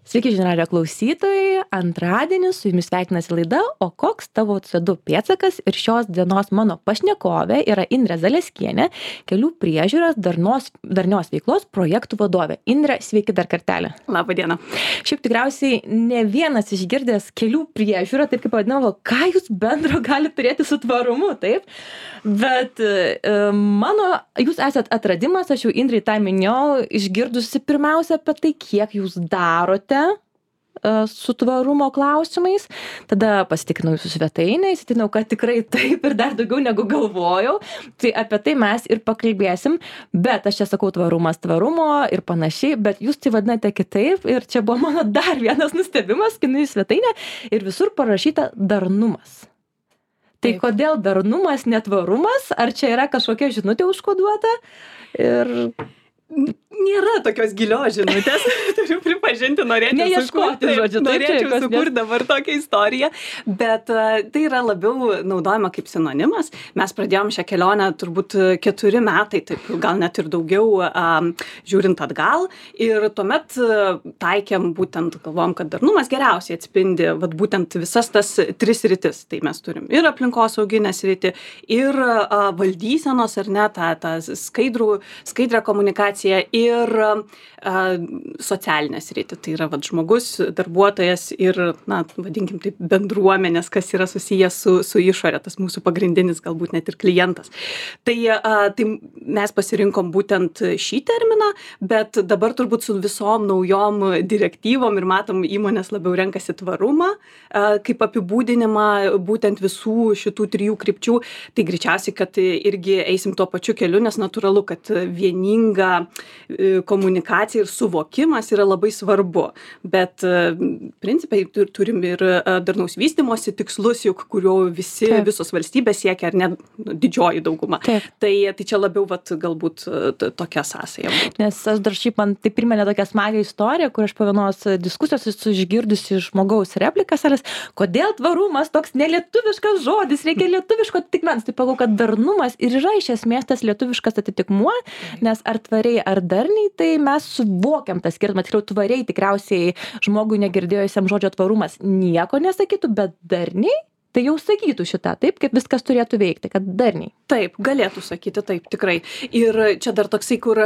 Sveiki žinių radijo klausytojai, antradienį su jumis sveikinasi laida O koks tavo CO2 pėdsakas ir šios dienos mano pašnekovė yra Indrė Zaleskienė, kelių priežiūros darnios veiklos projektų vadovė. Indrė, sveiki dar kartelį. Labą dieną. Šiaip tikriausiai ne vienas išgirdęs kelių priežiūrą, taip kaip vadinamo, ką jūs bendro gali turėti su tvarumu, taip? Bet jūs esat atradimas, aš jau Indrei tą minėjau, išgirdusi pirmiausia apie tai, kiek jūs darote su tvarumo klausimais, tada pasitikrinau jūsų svetainę, įsitikinau, kad tikrai taip ir dar daugiau negu galvojau, tai apie tai mes ir pakalbėsim, bet aš čia sakau tvarumas tvarumo ir panašiai, bet jūs tai vadinate kitaip ir čia buvo mano dar vienas nustebimas, kai į svetainę ir visur parašyta darnumas. Tai taip. Kodėl darnumas, netvarumas, ar čia yra kažkokia žinutė užkoduota ir... Nėra tokios gilios žinutės, turiu pripažinti, norėčiau sukurti dabar tokią istoriją, bet tai yra labiau naudojama kaip sinonimas. Mes pradėjom šią kelionę turbūt 4 metai, taip gal net ir daugiau žiūrint atgal ir tuomet taikėm būtent, galvom, kad darnumas geriausiai atspindi būtent visas tas 3 sritis. Tai mes turim ir aplinkosauginę sritį, ir valdysenos, ar ne, tą skaidrą komunikaciją, ir socialinę sritį. Tai yra žmogus, darbuotojas ir, vadinkim taip, bendruomenės, kas yra susijęs su išorė, tas mūsų pagrindinis galbūt net ir klientas. Tai mes pasirinkom būtent šį terminą, bet dabar turbūt su visom naujom direktyvom ir matom, įmonės labiau renkasi tvarumą kaip apibūdinimą būtent visų šitų 3 krypčių. Tai greičiausiai, kad irgi eisim tuo pačiu keliu, nes natūralu, kad vieninga komunikacija ir suvokimas yra labai svarbu. Bet principai turim ir darnaus vystymosi tikslus, juk kurių visos valstybės siekia, ar ne didžioji dauguma. Tai čia labiau galbūt tokia sąsaja. Nes aš dar šiaip man tai priminė tokią smagią istoriją, kur aš po vienos diskusijos esu išgirdusi žmogaus replikas, kodėl tvarumas toks nelietuviškas žodis, reikia lietuviško atitikmens. Tai pagalvoju, kad darnumas ir yra iš esmės tas lietuviškas atitikmuo, nes ar tvariai, ar darniai, tai mes suvokiam tą skirtumą. Tikriau tvariai tikriausiai žmogui negirdėjusiam žodžio tvarumas nieko nesakytų, bet darniai tai jau sakytų šitą, taip, kaip viskas turėtų veikti, kad darniai. Taip, galėtų sakyti, taip, tikrai. Ir čia dar toksai, kur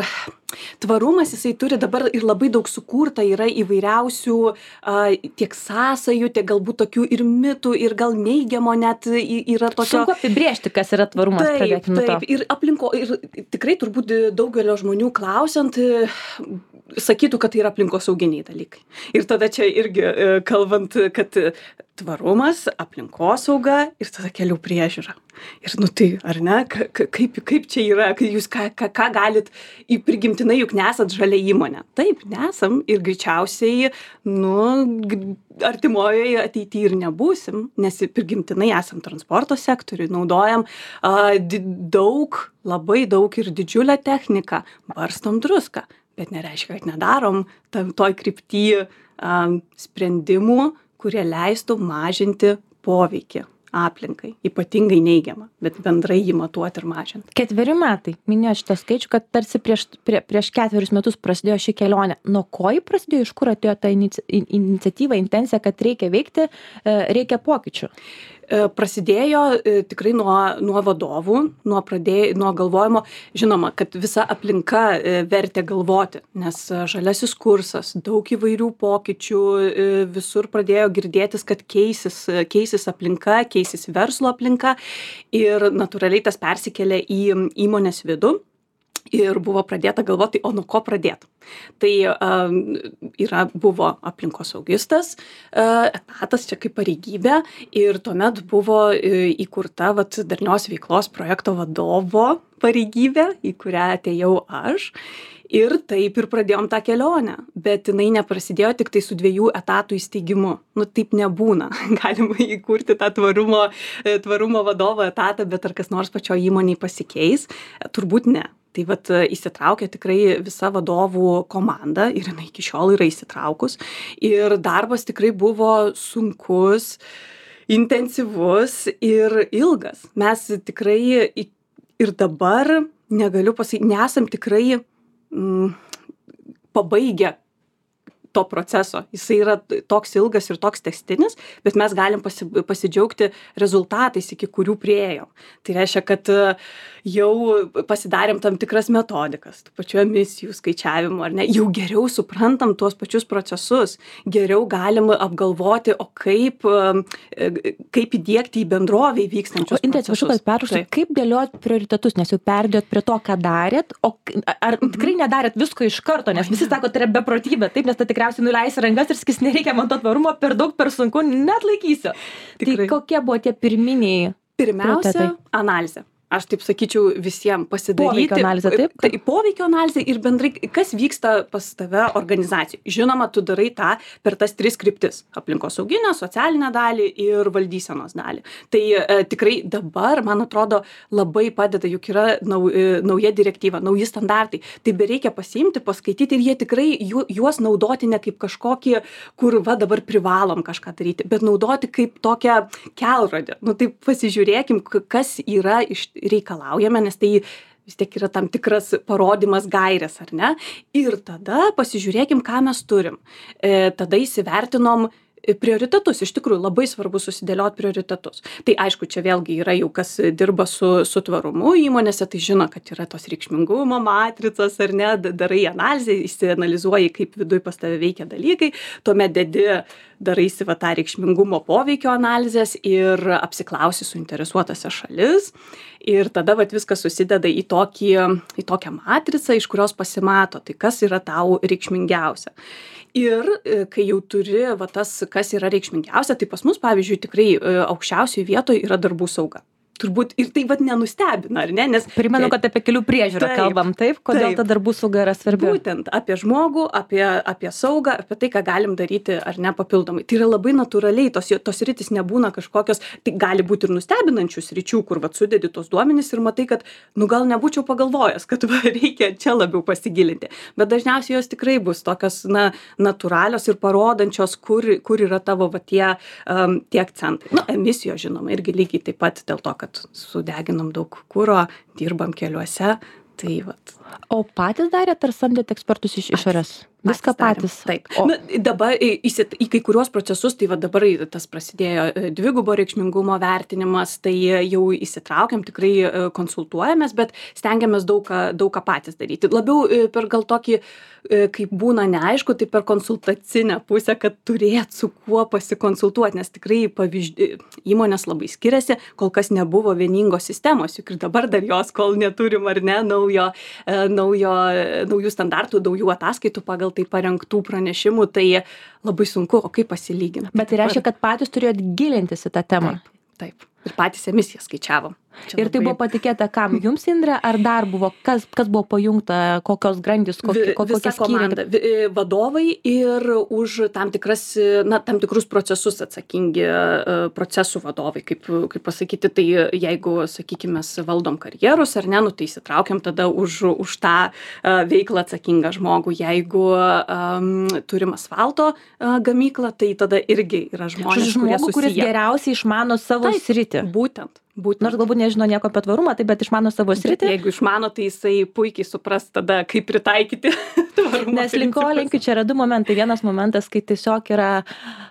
tvarumas, jisai turi dabar ir labai daug sukurta, yra įvairiausių tiek sąsajų, tiek galbūt tokių ir mitų, ir gal neigiamo net yra tokio... Sunku apibrėžti, kas yra tvarumas, pradėkime nuo to. Taip, ir tikrai turbūt daugelio žmonių klausiant, sakytų, kad tai yra aplinkosauginiai dalykai. Ir tada čia irgi kalbant, kad tvarumas, aplinkosauga ir tada kelių priežiūra. Ir tai, ar ne, kaip čia yra, jūs ką galit, prigimtinai juk nesat žalia įmonė. Taip, nesam ir greičiausiai, artimojoje ateityje ir nebūsim, nes prigimtinai esam transporto sektoriui, naudojam labai daug ir didžiulę techniką, barstom druską, bet nereiškia, kad nedarom toj krypty sprendimų, kurie leistų mažinti poveikį aplinkai, ypatingai neigiamą, bet bendrai jį matuoti ir mažinti. 4 metai, minėjo šitą skaičių, kad tarsi prieš 4 metus prasidėjo ši kelionė. Nuo ko ji prasidėjo, iš kur atėjo ta iniciatyva, intencija, kad reikia veikti, reikia pokyčių? Prasidėjo tikrai nuo vadovų, nuo galvojimo. Žinoma, kad visa aplinka vertė galvoti, nes žaliasis kursas, daug įvairių pokyčių, visur pradėjo girdėtis, kad keisis aplinka, keisis verslo aplinka ir natūraliai tas persikėlė į įmonės vidų. Ir buvo pradėta galvoti, o nuo ko pradėti. Tai buvo aplinkosaugistas etatas, čia kaip pareigybė, ir tuomet buvo įkurta darnios veiklos projekto vadovo pareigybė, į kurią atėjau aš. Ir taip ir pradėjom tą kelionę, bet jinai neprasidėjo tik tai su 2 etatų įsteigimu. Taip nebūna. Galima įkurti tą tvarumo vadovo etatą, bet ar kas nors pačioje įmonėje pasikeis? Turbūt ne. Tai įsitraukė tikrai visa vadovų komanda ir jinai iki šiol yra įsitraukus. Ir darbas tikrai buvo sunkus, intensyvus ir ilgas. Mes tikrai ir dabar, negaliu pasakyti, nesam tikrai pabaigę to proceso. Jisai yra toks ilgas ir toks tęstinis, bet mes galim pasidžiaugti rezultatais, iki kurių priėjom. Tai reiškia, kad jau pasidarėm tam tikras metodikas, tų pačių emisijų skaičiavimo, ar ne, jau geriau suprantam tuos pačius procesus, geriau galim apgalvoti, o kaip įdiegti į bendrovę vykstančius procesus. Kaip dėliot prioritetus, nes jau perdėjot prie to, ką darėt, o ar tikrai nedarėt visko iš karto, nes visi sako, tai yra beprotybė, taip, nes tai tikriausiai nuleisi rankas ir sakys, nereikia man to tvarumo, per daug, per sunku, net laikysiu. Tai kokie buvo tie pirminiai? Pirmiausia, analizė. Aš taip sakyčiau visiems pasidaryti. Poveikio analizė, taip? Tai poveikio analizė ir bendrai, kas vyksta pas tave organizacijai. Žinoma, tu darai tą per tas 3 kryptis - aplinkosauginę, socialinę dalį ir valdysenos dalį. Tai tikrai dabar, man atrodo, labai padeda, juk yra nauja direktyva, nauji standartai. Tai bereikia pasiimti, paskaityti ir jie tikrai juos naudoti ne kaip kažkokį, kur dabar privalom kažką daryti, bet naudoti kaip tokią kelrodį. Nu tai pasižiūrėkim, kas yra reikalaujame, nes tai vis tiek yra tam tikras parodymas gairės, ar ne? Ir tada pasižiūrėkim, ką mes turim. Tada įsivertinom prioritetus. Iš tikrųjų, labai svarbu susidėlioti prioritetus. Tai aišku, čia vėlgi yra jau kas dirba su tvarumu įmonėse, tai žino, kad yra tos reikšmingumo matricos, ar ne, darai analizę, įsianalizuoji, kaip viduj pas tave veikia dalykai, tuomet daraisi tą reikšmingumo poveikio analizės ir apsiklausi suinteresuotose šalis. Ir tada viskas susideda į tokią matricą, iš kurios pasimato, tai kas yra tau reikšmingiausia. Ir kai jau turi kas yra reikšmingiausia, tai pas mus, pavyzdžiui, tikrai aukščiausioje vietoje yra darbų sauga. Turbūt ir tai nenustebina, ar ne? Nes primenu, kad apie kelių priežiūrą kalbam, taip? Kodėl ta darbų sauga yra svarbi? Būtent apie žmogų, apie saugą, apie tai, ką galim daryti ar ne papildomai. Tai yra labai natūraliai, tos sritys nebūna kažkokios, tai gali būti ir nustebinančių sričių, kur sudedi tos duomenys ir matai, kad gal nebūčiau pagalvojęs, kad reikia čia labiau pasigilinti. Bet dažniausiai jos tikrai bus tokios natūralios ir parodančios, kur yra tavo tie akcentai. Emisijos, žinoma, irgi lygiai taip pat dėl to, kad sudeginom daug kuro, dirbam keliuose, tai O patys darėt ar samdėt ekspertus iš išorės? Viską patys? Taip. Dabar į kai kuriuos procesus, tai dabar tas prasidėjo dvigubo reikšmingumo vertinimas, tai jau įsitraukiam, tikrai konsultuojamės, bet stengiamės daug ką patys daryti. Labiau per gal tokį, kaip būna neaišku, tai per konsultacinę pusę, kad turėt su kuo pasikonsultuoti, nes tikrai įmonės labai skiriasi, kol kas nebuvo vieningos sistemos, juk ir dabar dar jos, kol neturim ar ne naujų standartų, naujų ataskaitų pagal tai parengtų pranešimų, tai labai sunku, o kaip pasilyginti. Bet tai reiškia, kad patys turėjot gilintis į tą temą. Taip. Ir patys emisiją skaičiavom. Ir tai buvo patikėta kam? Jums, Indre, ar dar buvo? Kas buvo pajungta? Kokios grandys? Visa komanda. Vadovai ir už tam tikrus procesus atsakingi procesų vadovai. Kaip pasakyti, tai jeigu, sakykime, mes valdom karjerus, ar ne, tai įsitraukiam tada už tą veiklą atsakingą žmogų. Jeigu turim asfalto gamyklą, tai tada irgi yra žmonės, kuris geriausiai išmano savo sritį. Būtent. Nors galbūt nežino nieko apie tvarumą, bet išmano savo sritį. Jeigu išmano, tai jisai puikiai supras tada, kaip pritaikyti tvarumo. Nes linkiu, čia yra 2 momentai. Vienas momentas, kai tiesiog yra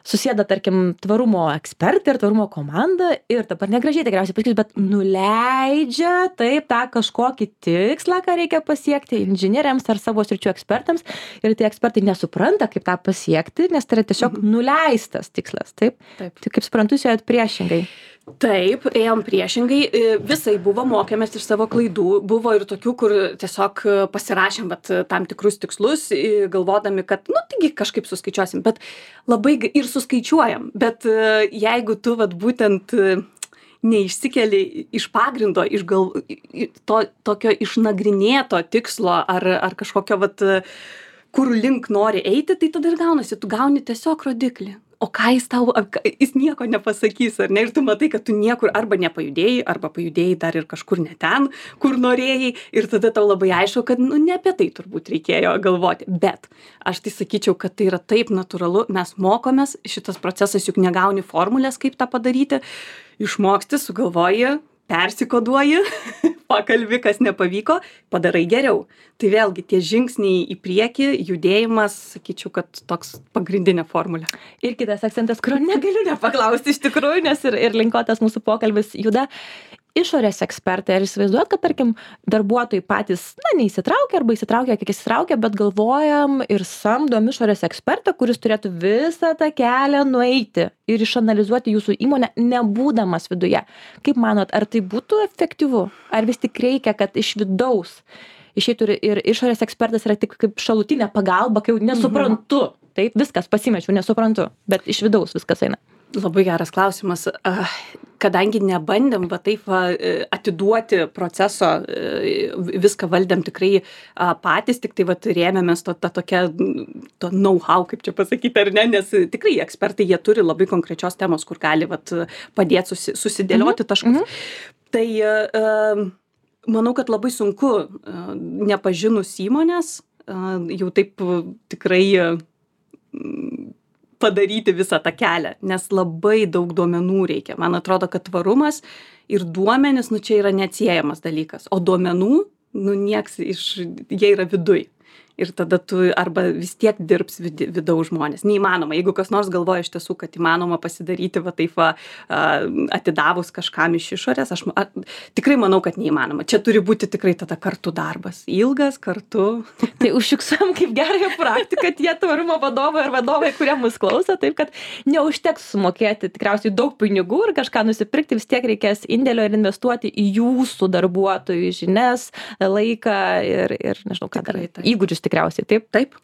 susėda, tarkim, tvarumo ekspertai ir tvarumo komanda ir dabar negražiai tikriausiai pasakys, bet nuleidžia taip tą kažkokį tikslą, ką reikia pasiekti inžinieriams ar savo sričių ekspertams ir tie ekspertai nesupranta, kaip tą pasiekti, nes tai yra tiesiog nuleistas tikslas. Taip. Tai kaip suprantu, jūs ėjot priešingai. Taip, ėjom priešingai, visai buvo, mokėmės iš savo klaidų, buvo ir tokių, kur tiesiog pasirašėm tam tikrus tikslus, galvodami, kad, taigi kažkaip suskaičiuosim, bet labai ir suskaičiuojam, bet jeigu tu būtent neišsikeli iš pagrindo, tokio išnagrinėto tikslo ar kažkokio, kur link nori eiti, tai tada ir gaunasi, tu gauni tiesiog rodiklį. O ką jis nieko nepasakys, ar ne? Ir tu matai, kad tu niekur arba nepajudėjai, arba pajudėjai dar ir kažkur ne ten, kur norėjai. Ir tada tau labai aišku, kad ne apie tai turbūt reikėjo galvoti. Bet aš tai sakyčiau, kad tai yra taip natūralu. Mes mokomės, šitas procesas juk negauni formulės, kaip tą padaryti. Išmoksti, sugalvoji, persikoduoji, pakalbi, kas nepavyko, padarai geriau. Tai vėlgi tie žingsniai į priekį, judėjimas, sakyčiau, kad toks pagrindinė formulė. Ir kitas akcentas, kurio negaliu nepaklausti iš tikrųjų, nes ir linkotas mūsų pokalbis juda. Išorės ekspertai, ar įsivaizduot, kad, tarkim, darbuotojai patys, neįsitraukia arba įsitraukia, kiek įsitraukia, bet galvojam ir samdom išorės ekspertą, kuris turėtų visą tą kelią nueiti ir išanalizuoti jūsų įmonę, nebūdamas viduje. Kaip manot, ar tai būtų efektyvu? Ar vis tik reikia, kad iš vidaus išeitų ir išorės ekspertas yra tik kaip šalutinė pagalba, kai jau nesuprantu. Taip, viskas pasimečiau, nesuprantu, bet iš vidaus viskas eina. Labai geras klausimas. Kadangi nebandėm taip atiduoti proceso, viską valdėm tikrai patys, tik tai rėmėmės to know-how, kaip čia pasakyti, ar ne, nes tikrai ekspertai, jie turi labai konkrečios temos, kur gali padėti susidėlioti taškus. Tai manau, kad labai sunku nepažinus įmonės, jau taip tikrai padaryti visą tą kelią, nes labai daug duomenų reikia. Man atrodo, kad tvarumas ir duomenys, čia yra neatsiejamas dalykas, o duomenų, jie yra viduj. Ir tada tu arba vis tiek dirbs vidaus žmonės. Neįmanoma. Jeigu kas nors galvoja iš tiesų, kad įmanoma pasidaryti atidavus kažkam iš išorės, aš tikrai manau, kad neįmanoma. Čia turi būti tikrai tada kartu darbas. Ilgas kartu. Tai užfiksuojam kaip gerąją praktiką tie tvarumo vadovai ir vadovai, kurie mus klauso, taip kad neužteks sumokėti tikriausiai daug pinigų ir kažką nusipirkti, vis tiek reikės indėlio ir investuoti į jūsų darbuotojų žinias, laiką ir nežinau, ką dar, įgūdžius tikriausiai, taip? Taip.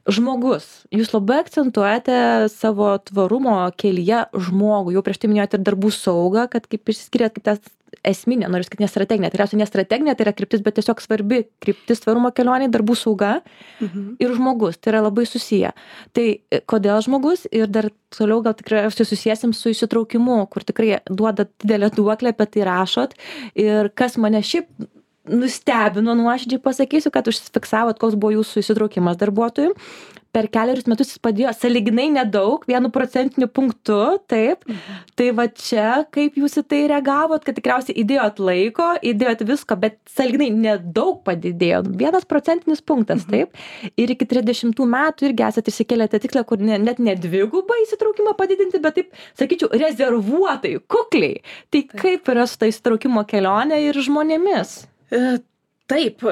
Žmogus. Jūs labai akcentuojate savo tvarumo kelyje žmogų. Jau prieš tai minėjote ir darbų saugą, kad kaip išsiskiriat kaip tas esminė, noriu sakyti, nestrateginė. Tikriausiai nestrateginė, tai yra kryptis, bet tiesiog svarbi kryptis tvarumo kelionė, darbų sauga ir žmogus. Tai yra labai susiję. Tai kodėl žmogus ir dar toliau gal tikriausiai susiesim su įsitraukimu, kur tikrai duoda didelę duoklę, apie tai rašot. Ir kas mane šiaip nustebino, nuoširdžiai pasakysiu, kad užsifiksavot, koks buvo jūsų įsitraukimas darbuotojų. Per 4 metus jis padėjo sąlyginai nedaug, 1% punktu, taip. Tai čia, kaip jūs į tai reagavot, kad tikriausiai įdėjot laiko, įdėjot visko, bet sąlyginai nedaug padidėjo, 1% punktas, taip. Ir iki 30 metų irgi esate išsikėlėte tikslą, kur net ne dvigubą įsitraukimą padidinti, bet taip, sakyčiau, rezervuotai, kukliai. Tai kaip yra su ta įsitraukimo kelionė ir žmonėmis? Taip,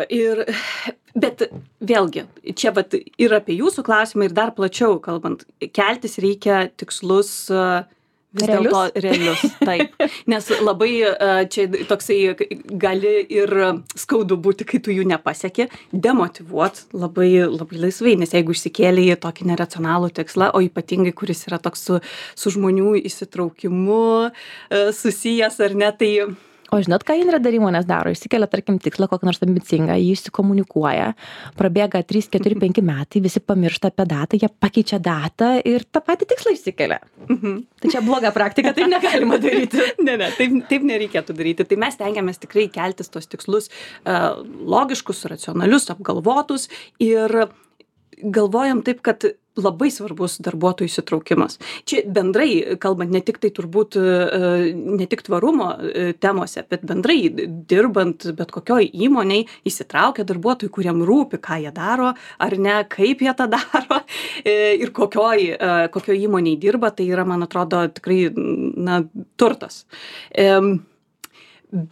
bet vėlgi, čia ir apie jūsų klausimą ir dar plačiau kalbant, keltis reikia tikslus vis dėlto realius. Taip, nes labai čia toksai gali ir skaudu būti, kai tu jų nepasieki, demotyvuot labai laisvai, nes jeigu išsikėlė tokį neracionalų tikslą, o ypatingai, kuris yra toks su žmonių įsitraukimu susijęs ar ne, tai O žinot, ką Indrė dar įmonės daro? Išsikelia, tarkim, tikslą kokį nors ambicingą, jį išsikomunikuoja, prabėga 3, 4, 5 metai, visi pamiršta apie datą, jie pakeičia datą ir tą patį tikslą išsikelia. Tai čia bloga praktika, taip negalima daryti. Ne, taip nereikėtų daryti. Tai mes tengiamės tikrai keltis tos tikslus logiškus, racionalius, apgalvotus ir galvojam taip, kad labai svarbus darbuotojų įsitraukimas. Čia bendrai, kalbant ne tik tai turbūt, ne tik tvarumo temose, bet bendrai dirbant bet kokioj įmonėj įsitraukia darbuotojų, kuriem rūpi, ką jie daro, ar ne, kaip jie tą daro ir kokioj įmonėj dirba, tai yra, man atrodo, tikrai turtas.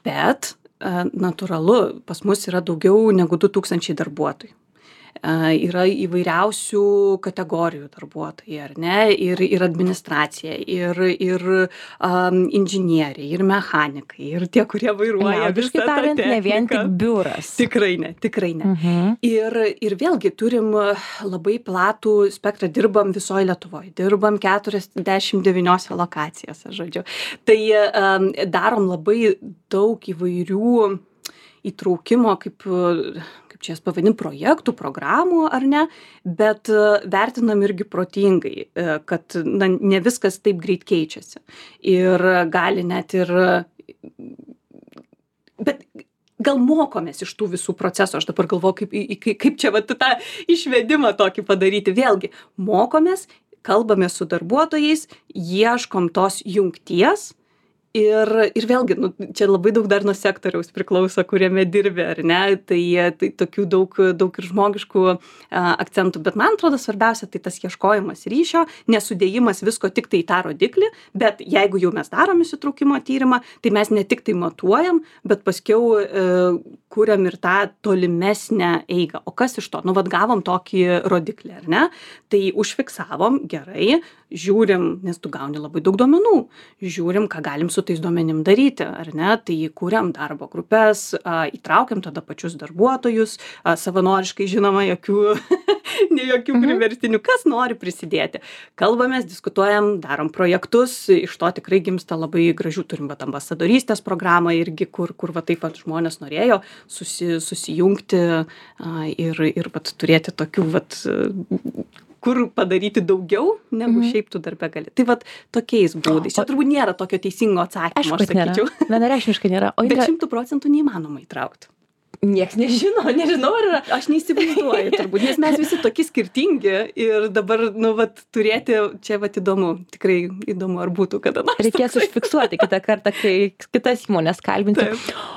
Bet natūralu, pas mus yra daugiau negu 2000 darbuotojų. Yra įvairiausių kategorijų darbuotojai, ar ne, ir administracija, ir inžinieriai, ir mechanikai, ir tie, kurie vairuoja visą tą techniką. Ne vien tik biuras. Tikrai ne. Ir vėlgi turim labai platų spektrą, dirbam visoje Lietuvoje, dirbam 49 lokacijose, žodžiu. Tai darom labai daug įvairių įtraukimo, kaip čia jas pavadin, projektų, programų, ar ne, bet vertinam irgi protingai, kad ne viskas taip greit keičiasi. Ir gali net ir... Bet gal mokomės iš tų visų procesų, aš dabar galvoju, kaip čia tą išvedimą tokį padaryti. Vėlgi, mokomės, kalbame su darbuotojais, ieškom tos jungties Ir vėlgi, nu, čia labai daug dar nuo sektoriaus priklauso, kuriame dirbi, ar ne, tai tokių daug ir žmogiškų akcentų, bet man atrodo svarbiausia tai tas ieškojimas ryšio, nesudėjimas visko tik tai į tą rodiklį, bet jeigu jau mes darom įsitraukimo tyrimą, tai mes ne tik tai matuojam, bet paskiau kuriam ir tą tolimesnę eigą. O kas iš to? Nu, vat gavom tokį rodiklį, ar ne? Tai užfiksavom, gerai, žiūrim, nes tu gauni labai daug duomenų, žiūrim, ką galim su tais duomenim daryti, ar ne? Tai kūriam darbo grupės, įtraukiam tada pačius darbuotojus, savanoriškai žinoma, jokių priverstinių, kas nori prisidėti. Kalbamės, diskutuojam, darom projektus, iš to tikrai gimsta labai gražių, turim vat ambasadorystės programą irgi, kur va taip vat žmonės norėjo susijungti ir vat turėti tokių vat kur padaryti daugiau, negu šiaip tu darbe gali. Tai vat tokiais būdais. Čia turbūt nėra tokio teisingo atsakymo, aš sakyčiau. Vienareikšmiškai nėra. Bet 100% neįmanoma įtraukti. Nieks nežinau, ar yra. Aš neįsivaizduoju turbūt, nes mes visi tokie skirtingi ir dabar, nu, vat, turėti čia vat įdomu, tikrai įdomu, ar būtų kada nors. Reikės užfiksuoti kitą kartą, kai kitas įmonės kalbinti.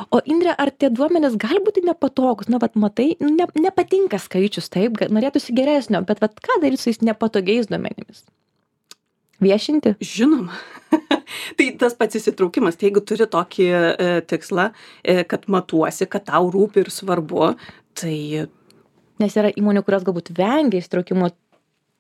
O Indre, ar tie duomenys gali būti nepatogus? Na, vat, matai, nepatinka skaičius, taip, norėtųsi geresnio, bet vat, ką daryti su jais nepatogiais duomenimis? Viešinti? Žinoma. Tai tas pats įsitraukimas, tai jeigu turi tokį tikslą, kad matuosi, kad tau rūpi ir svarbu, tai... Nes yra įmonių, kurios galbūt vengia įsitraukimo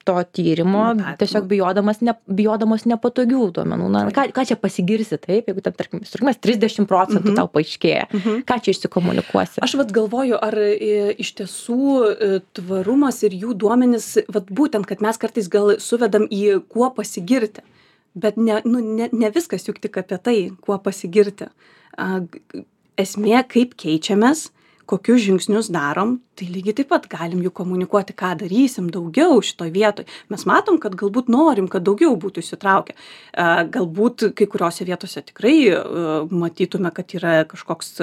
to tyrimo, tiesiog bijodamos nepatogių duomenų. Na, ką čia pasigirsi, taip, jeigu ten, tarkim, įsitraukimas 30% tau paaiškėja, ką čia išsikomunikuosi? Aš vat galvoju, ar iš tiesų tvarumas ir jų duomenys, vat būtent, kad mes kartais gal suvedam į kuo pasigirti. Bet ne viskas juk tik apie tai, kuo pasigirti. Esmė, kaip keičiamės, kokius žingsnius darom, tai lygiai taip pat galim jų komunikuoti, ką darysim daugiau šitoj vietoj. Mes matom, kad galbūt norim, kad daugiau būtų įsitraukę. Galbūt kai kuriuose vietose tikrai matytume, kad yra kažkoks,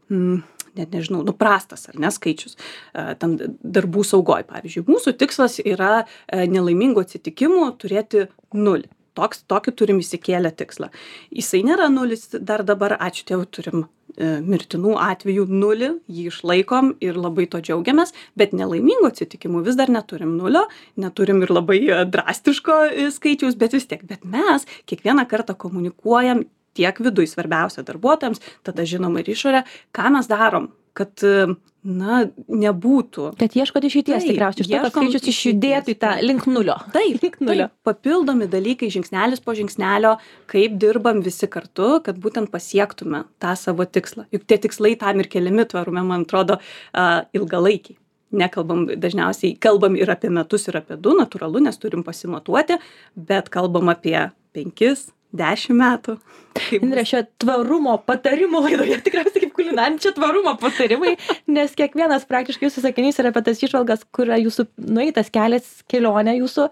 net nežinau, prastas ar neskaičius. Ten darbų saugoj, pavyzdžiui. Mūsų tikslas yra nelaimingų atsitikimų turėti 0. Tokį turim įsikėlę tikslą. Jisai nėra 0 dar dabar, ačiū Dievui, turim mirtinų atvejų 0, jį išlaikom ir labai to džiaugiamės, bet nelaimingų atsitikimų vis dar neturim 0, neturim ir labai drastiško skaičiaus, bet vis tiek. Bet mes kiekvieną kartą komunikuojam tiek viduj, svarbiausia darbuotojams, tada žinoma ir išorė, ką mes darom, kad nebūtų. Kad ieškot išeities tikriausiai, iš to, kad skaičius išjudėtų į tą link 0. Taip, papildomi dalykai žingsnelis po žingsnelio, kaip dirbam visi kartu, kad būtent pasiektume tą savo tikslą. Juk tie tikslai tam ir keliami tvarume, man atrodo, ilgalaikiai. Nekalbam, dažniausiai kalbam ir apie metus, ir apie 2, natūralu, nes turim pasimatuoti, bet kalbam apie 5, 10 metų. Indre, šio tvarumo patarimų laidoje tikriausiai kaip kulinarinčio tvarumo patarimai, nes kiekvienas praktiškai jūsų sakinys yra apie tas išvalgas, kur jūsų nueitas kelias, kelionė jūsų.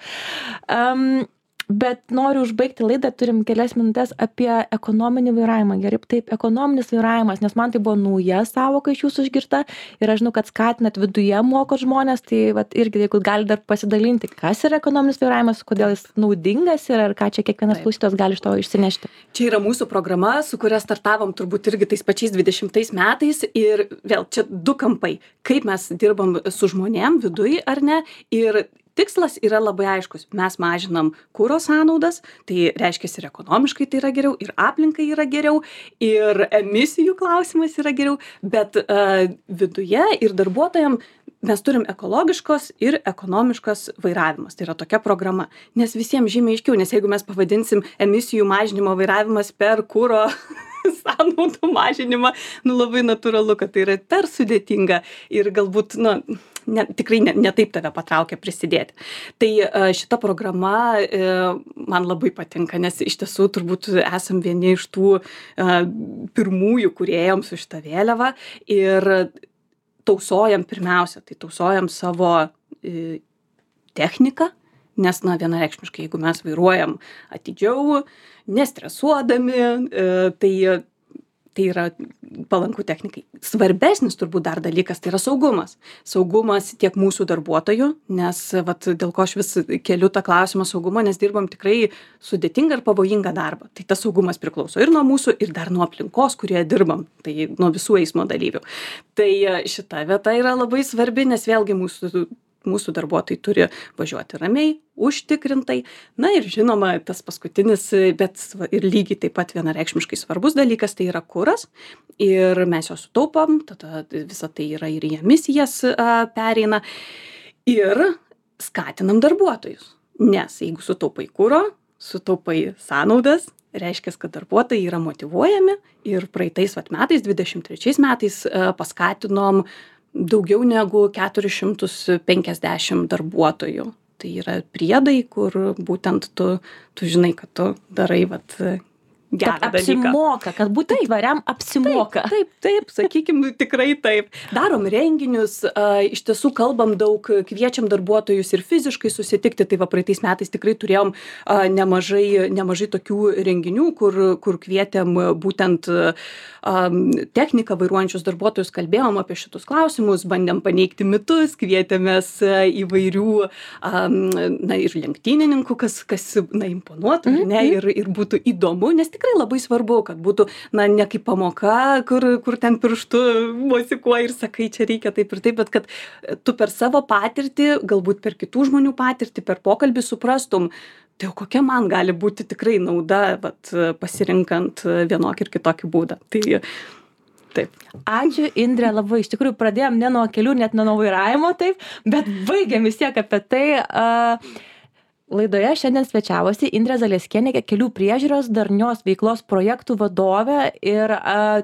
Bet noriu užbaigti laidą, turim kelias minutės apie ekonominį vairavimą. Gerai, taip, ekonominis vairavimas, nes man tai buvo nauja savoka iš jūsų išgirta ir aš žinau, kad skatinat viduje mokot žmonės, tai vat, irgi, jeigu gali dar pasidalinti, kas yra ekonominis vairavimas, kodėl jis naudingas ir ar ką čia kiekvienas klausytojas gali iš to išsinešti. Čia yra mūsų programa, su kuria startavom turbūt irgi tais pačiais 20 metais ir vėl čia 2 kampai, kaip mes dirbam su žmonėm viduj ar ne ir tikslas yra labai aiškus. Mes mažinam kuro sąnaudas, tai reiškia ir ekonomiškai tai yra geriau, ir aplinkai yra geriau, ir emisijų klausimas yra geriau, bet viduje ir darbuotojam mes turim ekologiškos ir ekonomiškos vairavimas. Tai yra tokia programa, nes visiems žymiai aiškiau, nes jeigu mes pavadinsim emisijų mažinimo vairavimas per kuro sąnaudų mažinimą, labai natūralu, kad tai yra per sudėtinga ir galbūt, tikrai ne taip tave patraukia prisidėti. Tai šita programa man labai patinka, nes iš tiesų turbūt esam vieni iš tų pirmųjų, kurie ėjom su šita vėliava ir tausojam pirmiausia, tai tausojam savo techniką, nes vienareikšmiškai, jeigu mes vairuojam atidžiau, nestresuodami, tai tai yra palanku technikai. Svarbesnis turbūt dar dalykas tai yra saugumas. Saugumas tiek mūsų darbuotojų, nes vat, dėl ko aš vis keliu tą klausimą saugumo, nes dirbam tikrai sudėtingą ir pavojingą darbą. Tai tas saugumas priklauso ir nuo mūsų, ir dar nuo aplinkos, kurioje dirbam, tai nuo visų eismo dalyvių. Tai šita vieta yra labai svarbi, nes vėlgi mūsų darbuotojai turi važiuoti ramiai, užtikrintai. Na ir žinoma, tas paskutinis, bet ir lygiai taip pat vienareikšmiškai svarbus dalykas, tai yra kuras. Ir mes jo sutaupam, tada visa tai yra ir į emisijas pereina. Ir skatinam darbuotojus. Nes jeigu sutaupai kuro, sutaupai sąnaudas, reiškia, kad darbuotojai yra motyvuojami ir praeitais metais, 23 metais paskatinom daugiau negu 450 darbuotojų. Tai yra priedai, kur būtent tu žinai, kad tu darai gerą dalyką. Apsimoka, kad būti tvariam apsimoka. Taip, sakykim, tikrai taip. Darom renginius, iš tiesų kalbam daug, kviečiam darbuotojus ir fiziškai susitikti. Tai praeitais metais tikrai turėjom nemažai tokių renginių, kur kvietėm būtent techniką vairuojančius darbuotojus, kalbėjom apie šitus klausimus, bandėm paneigti mitus, kvietėmės įvairių ir lenktynininkų, kas imponuotų, ir būtų įdomu, nes tikrai labai svarbu, kad būtų, ne kaip pamoka, kur ten pirštu mosikuoji ir sakai, čia reikia taip ir taip, bet kad tu per savo patirtį, galbūt per kitų žmonių patirtį, per pokalbį suprastum, tai jau kokia man gali būti tikrai nauda, pasirinkant vienokį ir kitokį būdą. Tai taip. Ačiū, Indrė, labai. Iš tikrųjų, pradėjom ne nuo kelių, net ne nuo vairavimo, taip, bet baigėm vis tiek apie tai. Laidoje šiandien svečiavosi Indrė Zaleskienė, kelių priežiūros darnios veiklos projektų vadovė ir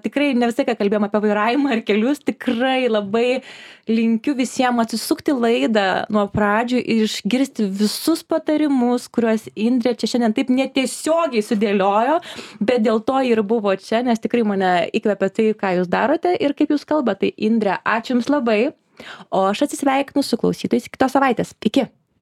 tikrai ne visai, ką kalbėjom apie vairavimą ir kelius, tikrai labai linkiu visiems atsisukti laidą nuo pradžių ir išgirsti visus patarimus, kuriuos Indrė čia šiandien taip netiesiogiai sudėliojo, bet dėl to ir buvo čia, nes tikrai mane įkvepia tai, ką jūs darote ir kaip jūs kalbate. Tai Indrė, ačiū Jums labai, o aš atsisveikinu su klausytojais kitos savaitės. Iki.